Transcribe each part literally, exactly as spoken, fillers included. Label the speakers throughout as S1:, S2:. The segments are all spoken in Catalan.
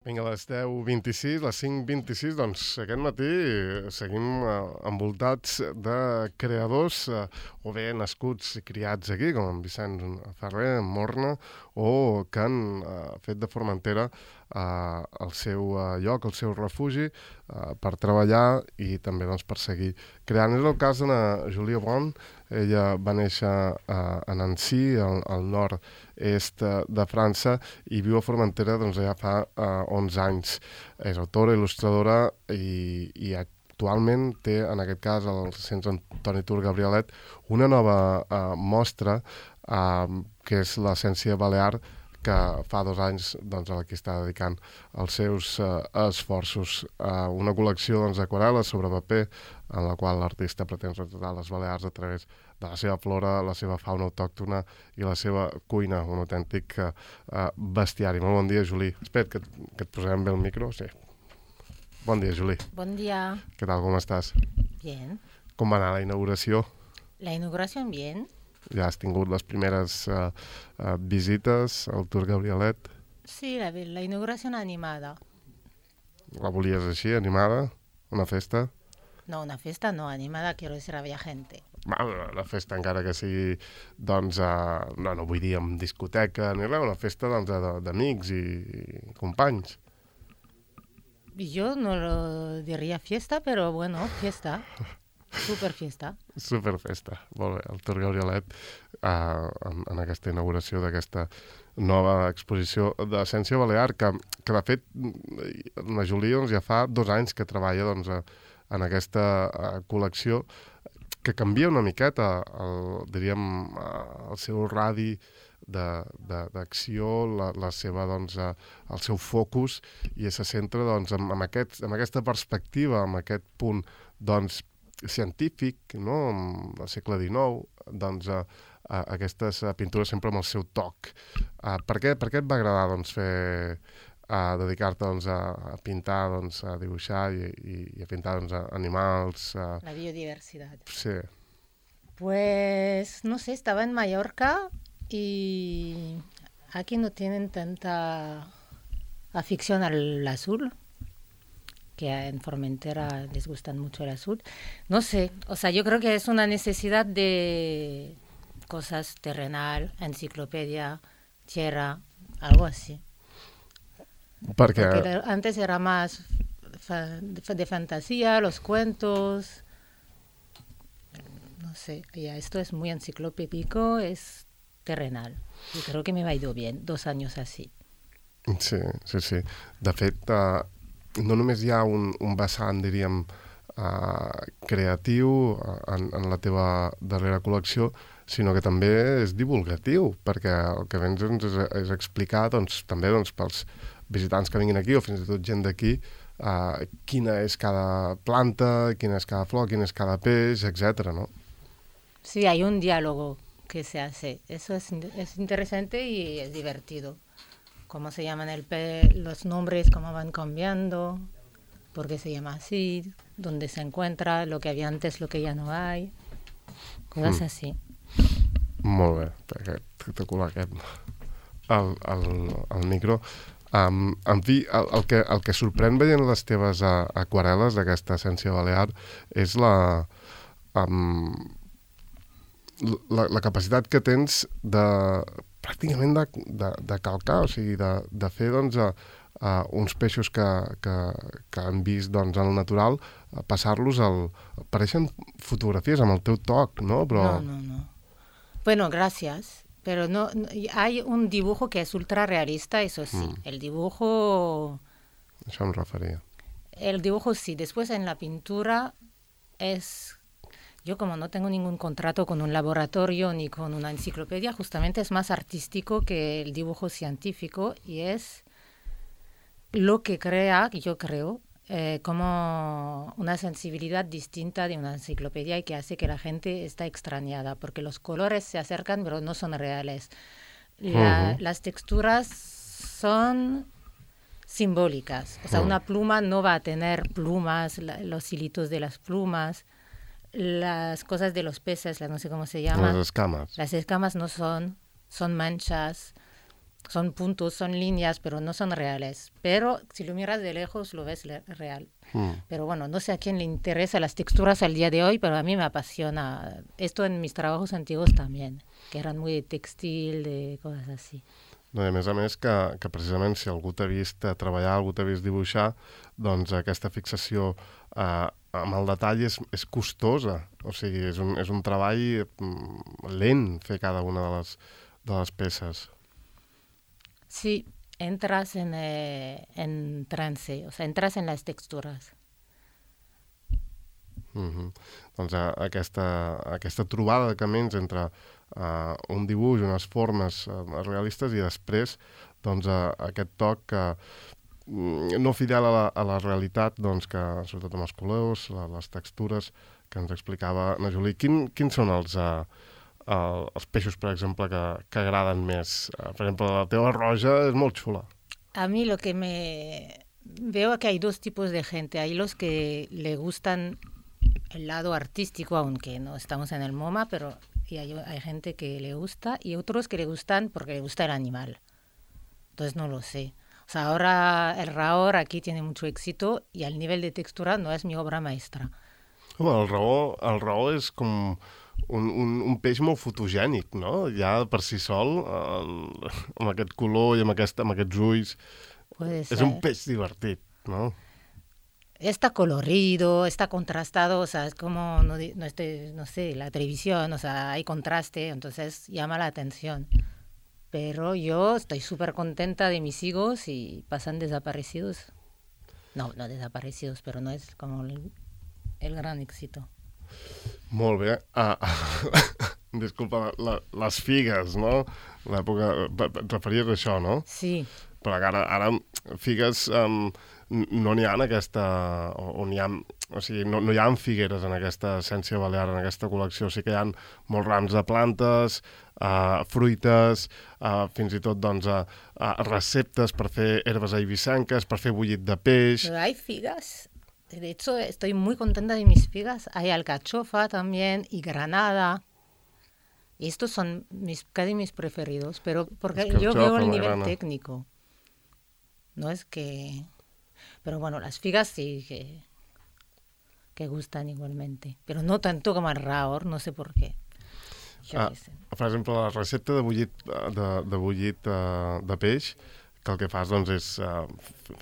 S1: Vinga, a les deu vint-i-sis, les cinc vint-i-sis, doncs aquest matí seguim eh, envoltats de creadors, eh, o bé nascuts i criats aquí, com en Vicent Ferrer, en Morna, o que han eh, fet de Formentera eh, el seu eh, lloc, el seu refugi, eh, per treballar i també doncs, per seguir creant. És el cas d'una Julia Bon. Ella va néixer a, a Nancy, al, al nord-est de França, i viu a Formentera doncs, ja fa uh, onze anys. És autora, il·lustradora i, i actualment té, en aquest cas, al Centre Antoni Tur Gabrielet, una nova uh, mostra uh, que és l'Essència Balear, que fa dos anys doncs, a la que està dedicant els seus uh, esforços. Uh, una col·lecció doncs, d'aquarel·les sobre paper, en la qual l'artista pretén retratar les Balears a través de la seva flora, la seva fauna autòctona i la seva cuina, un autèntic uh, bestiari. Molt bon dia, Juli. Espera, que, que et posarem bé el micro. Sí. Bon dia, Juli.
S2: Bon dia.
S1: Què tal, com estàs?
S2: Bien.
S1: Com va anar la inauguració?
S2: La inauguración bien.
S1: Ja has tingut les primeres uh, uh, visites al Tur Gabrielet?
S2: Sí, la, la inauguración animada.
S1: La volies així, animada? Una festa?
S2: No, una fiesta no, animada quiero decir había gente.
S1: La festa encara que sigui, doncs, uh, no, no vull dir amb discoteca ni res, una festa doncs, d'amics i, i companys.
S2: Yo no lo diría fiesta, pero bueno, fiesta. Super fiesta.
S1: Super festa, molt bé. El Tur Gabrielet, uh, en, en aquesta inauguració d'aquesta nova exposició d'Essència Balear, que, que de fet la Júlia doncs, ja fa dos anys que treballa doncs, a, en aquesta uh, col·lecció, que canvia una miqueta el, diríem, uh, el seu radi d'acció, la, la seva, doncs, uh, el seu focus, i se centra doncs, en, en, aquest, en aquesta perspectiva, en aquest punt doncs, científic, no? Al segle dinou, doncs, uh, uh, aquestes uh, pintures sempre amb el seu toc. Uh, per, què, per què et va agradar doncs, fer, uh, dedicar-te doncs, a, a pintar, doncs, a dibuixar i, i, i a pintar doncs, a animals? Uh...
S2: La biodiversidad.
S1: Sí.
S2: Pues, no sé, estaba en Mallorca y aquí no tienen tanta afición al azul, que en Formentera les gustan mucho el azul. No sé, o sea, yo creo que es una necesidad de cosas terrenal, enciclopedia, tierra, algo así.
S1: Porque,
S2: Porque antes era más fa- de fantasía, los cuentos, no sé, ya esto es muy enciclopédico, es terrenal. Y creo que me ha ido bien, dos años así.
S1: Sí, sí, sí. De fet, uh, no només hi ha un, un vessant, diríem, uh, creatiu en, en la teva darrera col·lecció, sinó que també és divulgatiu, perquè el que vens doncs, és, és explicar doncs, també doncs, pels visitants que vinguin aquí, o fins i tot gent d'aquí, uh, quina és cada planta, quina és cada flor, quin és cada peix, etcètera, no?
S2: Sí, hay un diálogo que se hace. Eso es, es interesante y es divertido. Cómo se llaman el pe los nombres, cómo van cambiando, por qué se llama así, dónde se encuentra, lo que había antes, lo que ya no hay, cosas mm. así.
S1: Molt bé, espectacular aquest, el, el, el micro. Um, en fi, el, el, que, el que sorprèn veient les teves uh, aquarel·les d'aquesta Essència Balear és la, um, la, la capacitat que tens de pràcticament de, de, de calcar, o sigui, de, de fer doncs, uh, uh, uns peixos que, que, que han vist doncs, en el natural, uh, passar-los al... Pareixen fotografies amb el teu toc, no? Però...
S2: No, no, no. Bueno, gracias. Pero no, no, hay un dibujo que es ultra realista, eso sí. Mm. El dibujo...
S1: Això em referia.
S2: El dibujo sí. Después en la pintura es... Yo como no tengo ningún contrato con un laboratorio ni con una enciclopedia, justamente es más artístico que el dibujo científico y es lo que crea, yo creo, eh, como una sensibilidad distinta de una enciclopedia y que hace que la gente está extrañada, porque los colores se acercan pero no son reales. La, uh-huh. Las texturas son simbólicas, o sea, uh-huh. una pluma no va a tener plumas, la, los hilitos de las plumas, las cosas de los peces, no sé cómo se llaman.
S1: Las escamas.
S2: Las escamas no son, son manchas. Son puntos, son líneas, pero no son reales. Pero si lo miras de lejos, lo ves le- real.
S1: Mm.
S2: Pero bueno, no sé a quién le interesa las texturas al día de hoy, pero a mí me apasiona. Esto en mis trabajos antiguos también, que eran muy de textil, de cosas así.
S1: No, i a més a més que, que precisament si algú t'ha vist eh, treballar, algú t'ha vist dibuixar, doncs aquesta fixació eh, amb el detall és, és costosa. O sigui, és un, és un treball mm, lent fer cada una de les, de les peces.
S2: Sí, entras en, eh, en trance, o sea, entras en las texturas.
S1: Mm-hmm. Doncs eh, aquesta, aquesta trobada de camins entre uh, un dibuix, unes formes uh, realistes i després doncs, uh, aquest toc que mm, no fidel a la, a la realitat, doncs, que sobretot amb els colors, la, les textures que ens explicava na Julie. Quin, quins són els, uh, uh, els peixos, per exemple, que, que agraden més? Uh, per exemple, la teva roja és molt xula.
S2: A mí lo que me... Veo que hay dos tipos de gente. Hay los que le gustan el lado artístico, aunque no estamos en el MoMA, pero y hay, hay gente que le gusta y otros que le gustan porque le gusta el animal. Entonces no lo sé. O sea, ahora el Raor aquí tiene mucho éxito y al nivel de textura no es mi obra maestra.
S1: Home, el raó, el raó és com un, un, un peix molt fotogènic, no? Ja per si sol, eh, amb aquest color i amb, aquest, amb aquests ulls.
S2: Puede ser.
S1: És un peix divertit, no?
S2: Está colorido, está contrastado, o sea, es como, no, no, este, no sé, la televisión, o sea, hay contraste, entonces llama la atención. Pero yo estoy súper contenta de mis higos y pasan desaparecidos. No, no desaparecidos, pero no es como el, el gran éxito.
S1: Molt bé. Ah, disculpa, la, les figues, no? L'època... Et referies a això, no?
S2: Sí.
S1: Però ara, ara figues um, no n'hi ha en aquesta... O, o n'hi ha... O sigui, no, no hi ha figueres en aquesta essència balear, en aquesta col·lecció. Sí que hi ha molts rams de plantes, uh, fruites, uh, fins i tot doncs, uh, uh, receptes per fer herbes eivissenques, per fer bullit de peix...
S2: Pero hay figas. De hecho, estoy muy contenta de mis figas. Hay alcachofa también y granada. Y estos son mis, casi mis preferidos, pero porque yo veo el nivel grana. técnico. No es que... Pero bueno, las figas sí que, que gustan igualmente. Pero no tanto como el Raor, no sé por qué.
S1: Ah, per exemple, la recepta de bullit de, de, bullit, uh, de peix, que el que fas doncs, és uh,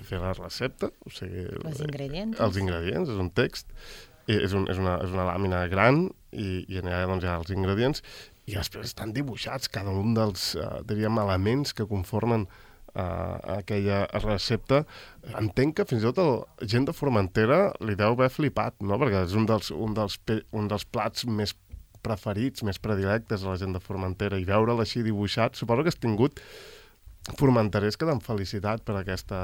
S1: fer la recepta, o sigui,
S2: els ingredients.
S1: Els ingredients, és un text, és, un, és, una, és una làmina gran i, i allà doncs, hi ha els ingredients i després estan dibuixats cada un dels uh, diríem, elements que conformen uh, aquella recepta. Entenc que fins i tot el gent de Formentera li deu haver flipat, no? Perquè és un dels, un dels, un dels plats més preferits, més predilectes a la gent de Formentera, i veure'l així dibuixat, suposo que has tingut formenterers que t'han felicitat per aquesta,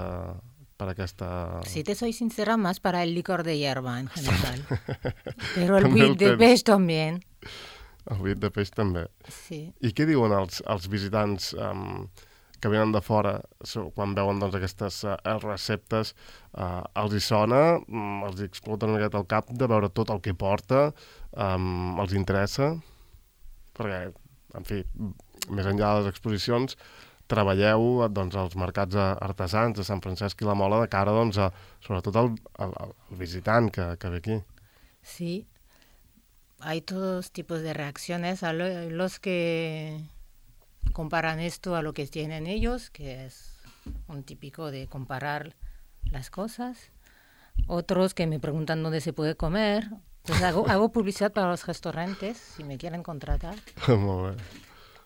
S1: per aquesta...
S2: Si te soy sincera, más para el licor de hierba en general. Però el buit de peix també.
S1: El buit de peix també.
S2: Sí.
S1: I què diuen els, els visitants um, que venen de fora quan veuen doncs, aquestes uh, receptes? Uh, els hi sona, um, els hi explota una miqueta el cap de veure tot el que porta, um, els interessa? Perquè, en fi, més enllà de les exposicions, treballeu doncs, als mercats artesans de Sant Francesc i la Mola de cara doncs, a, sobretot al, al, al visitant que, que ve aquí.
S2: Sí, hay todos tipos de reacciones. A lo, los que comparan esto a lo que tienen ellos, que es un típico de comparar las cosas. Otros que me preguntan dónde se puede comer. Entonces hago, hago publicidad para los restaurantes, si me quieren contratar.
S1: Molt bé.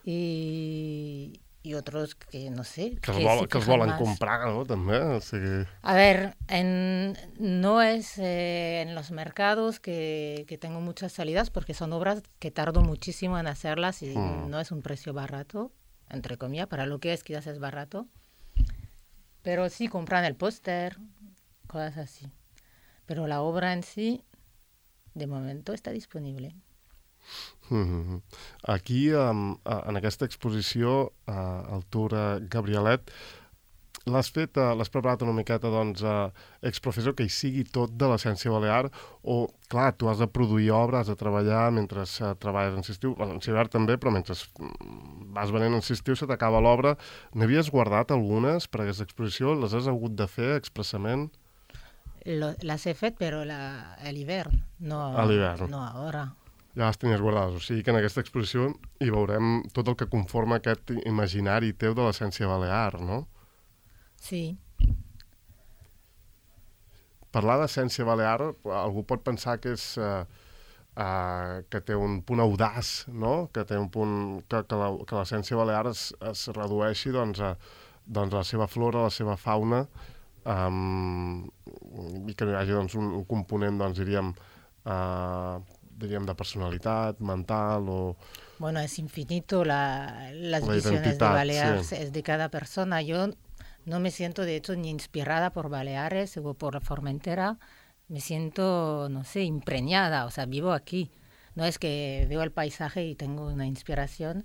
S2: Y... y otros que no sé
S1: que, que, vol, que els volen más. Comprar, no? També, o sigui...
S2: A ver, en, no es eh, en los mercados que, que tengo muchas salidas porque son obras que tardo muchísimo en hacerlas y mm. no es un precio barato, entre comillas, para lo que es quizás es barato, pero sí compran el póster, cosas así, pero la obra en sí de momento está disponible.
S1: Mm-hmm. Aquí, um, en aquesta exposició, uh, al Tour Gabrielet, l'has fet, uh, l'has preparat una miqueta, doncs, uh, exprofessor, que hi sigui tot de l'essència balear, o, clar, tu has de produir obra, has de treballar mentre uh, treballes en estiu, bueno, en hivern també, però mentre vas venent en estiu se t'acaba l'obra. N'havies guardat algunes per aquesta exposició? Les has hagut de fer expressament?
S2: Lo, las he fet, però la, a l'hivern, no,
S1: a l'hivern.
S2: No ara.
S1: Ja les tenies guardades, o sigui que en aquesta exposició hi veurem tot el que conforma aquest imaginari teu de l'essència balear, no?
S2: Sí.
S1: Parlar d'essència balear, algú pot pensar que és uh, uh, que té un punt audaç, no? Que té un punt que, que, la, que l'essència balear es, es redueixi, doncs, a, doncs, a la seva flora, a la seva fauna, um, i que no hi hagi, doncs, un, un component, doncs, diríem, uh, diríem de personalitat, mental o...
S2: Bueno, es infinito la, las
S1: la
S2: visiones de Baleares,
S1: sí.
S2: Es de cada persona. Yo no me siento, de hecho, ni inspirada por Baleares o por Formentera. Me siento, no sé, impregnada, o sea, vivo aquí. No es que veo el paisaje y tengo una inspiración,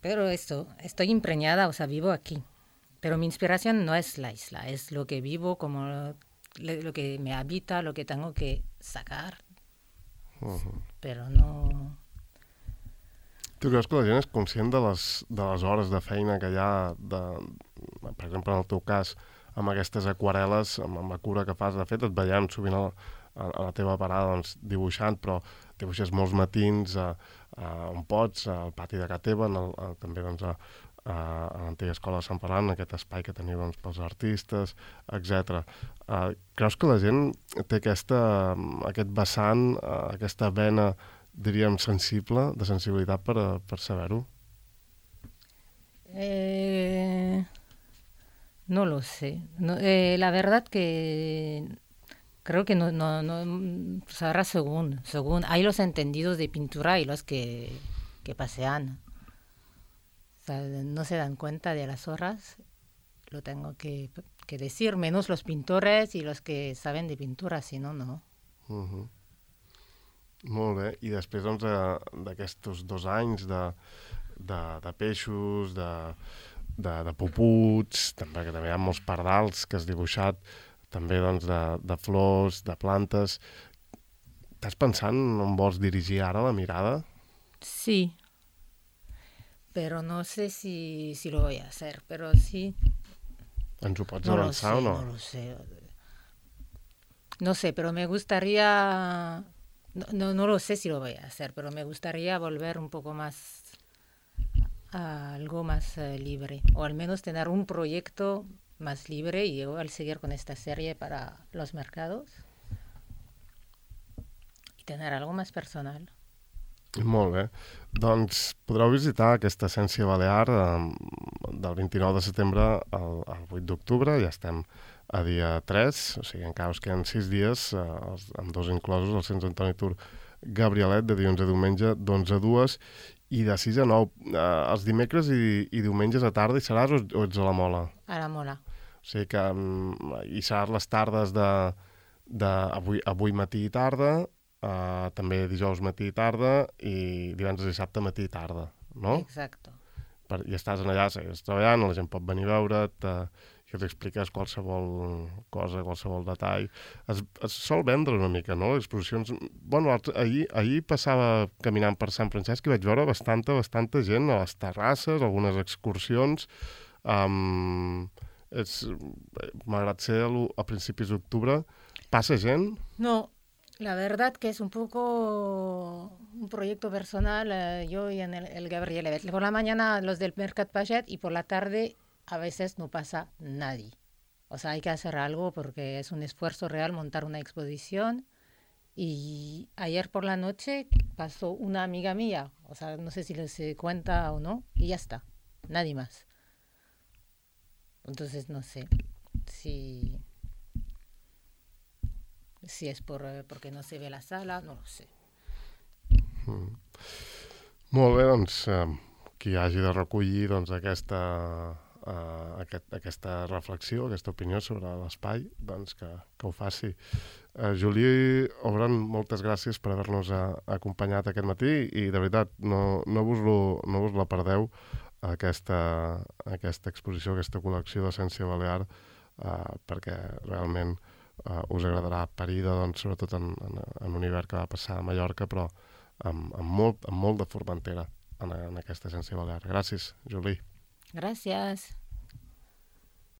S2: pero esto, estoy impregnada, o sea, vivo aquí. Pero mi inspiración no es la isla, es lo que vivo, como lo, lo que me habita, lo que tengo que sacar. Uh-huh. Però no...
S1: Tu creus que la gent és conscient de les, de les hores de feina que hi ha, de, per exemple, en el teu cas, amb aquestes aquarel·les, amb, amb la cura que fas? De fet, et veiem sovint a, a, a la teva parada, doncs, dibuixant, però dibuixes molts matins a, a on pots, al pati de casa teva, en el, a, també doncs, a, a, a l'antiga escola de Sant Ferran, aquest espai que teniu, doncs, pels artistes, etcètera. Uh, creus que la gent té aquesta, aquest vessant, uh, aquesta vena, diríem, sensible, de sensibilitat per, per saber-ho?
S2: Eh, no lo sé. No, eh, la verdad que creo que no, no, no sabrá según, según. Hay los entendidos de pintura y los que, que pasean. O sea, no se dan cuenta de las horas, lo tengo que, que decir, menos los pintores y los que saben de pintura, si no, no.
S1: Uh-huh. Molt bé, i després doncs, d'aquests dos anys de, de, de peixos, de, de, de puputs, també, que també hi ha molts pardals que has dibuixat, també doncs, de, de flors, de plantes. Estàs pensant on vols dirigir ara la mirada?
S2: Sí, pero no sé si, si lo voy a hacer, pero sí.
S1: Ens ho pots
S2: no
S1: avançar
S2: lo sé,
S1: o no?
S2: No lo sé. No sé, pero me gustaría... No, no, no lo sé si lo voy a hacer, pero me gustaría volver un poco más a algo más uh, libre, o al menos tener un proyecto más libre y igual seguir con esta serie para los mercados y tener algo más personal.
S1: Molt bé. Doncs podreu visitar aquesta Essència Balear eh, del vint-i-nou de setembre al, al vuit d'octubre, ja estem a dia tres, o sigui, encara us queden sis dies, eh, els, amb dos inclosos, el Centre Antoni Tur Gabrielet, de dilluns a diumenge, d'onze a dues, i de sis a nou. Eh, els dimecres i, i diumenges a tarda hi seràs o, o ets a la Mola?
S2: A la Mola.
S1: O sigui que um, hi seràs les tardes de, de avui, avui matí i tarda, eh, també dijous matí i tarda, i divendres i dissabte matí i tarda, no?
S2: Exacto.
S1: Per, I estàs allà, segues treballant, la gent pot venir a veure't, eh, que t'expliques qualsevol cosa, qualsevol detall. Es, es sol vendre una mica, no? Exposicions... Bueno, ahir, ahir passava caminant per Sant Francesc i vaig veure bastanta, bastanta gent a les terrasses, algunes excursions. Um, és, malgrat ser a principis d'octubre, passa gent?
S2: No, la verdad que es un poco un proyecto personal, eh, yo y en el, el Gabrielet. Por la mañana los del Mercat Paget y por la tarde a veces no pasa nadie. O sea, hay que hacer algo porque es un esfuerzo real montar una exposición. Y ayer por la noche pasó una amiga mía, o sea, no sé si les cuenta o no, y ya está, nadie más. Entonces no sé si, si es por, porque no se ve la sala, no lo sé.
S1: Mm. Molt bé, doncs, eh, qui hagi de recollir doncs, aquesta... Uh, aquest, aquesta reflexió, aquesta opinió sobre l'espai, doncs que, que ho faci. Uh, Juli Obran, moltes gràcies per haver-nos uh, acompanyat aquest matí i de veritat, no, no, vos lo, no vos la perdeu. aquesta, aquesta exposició, aquesta col·lecció d'essència balear, eh, perquè realment eh, us agradarà parida, doncs, sobretot en, en, en un hivern que va passar a Mallorca, però amb, amb, molt, amb molt de Formentera en, en aquesta essència balear. Gràcies, Juli.
S2: Gràcies.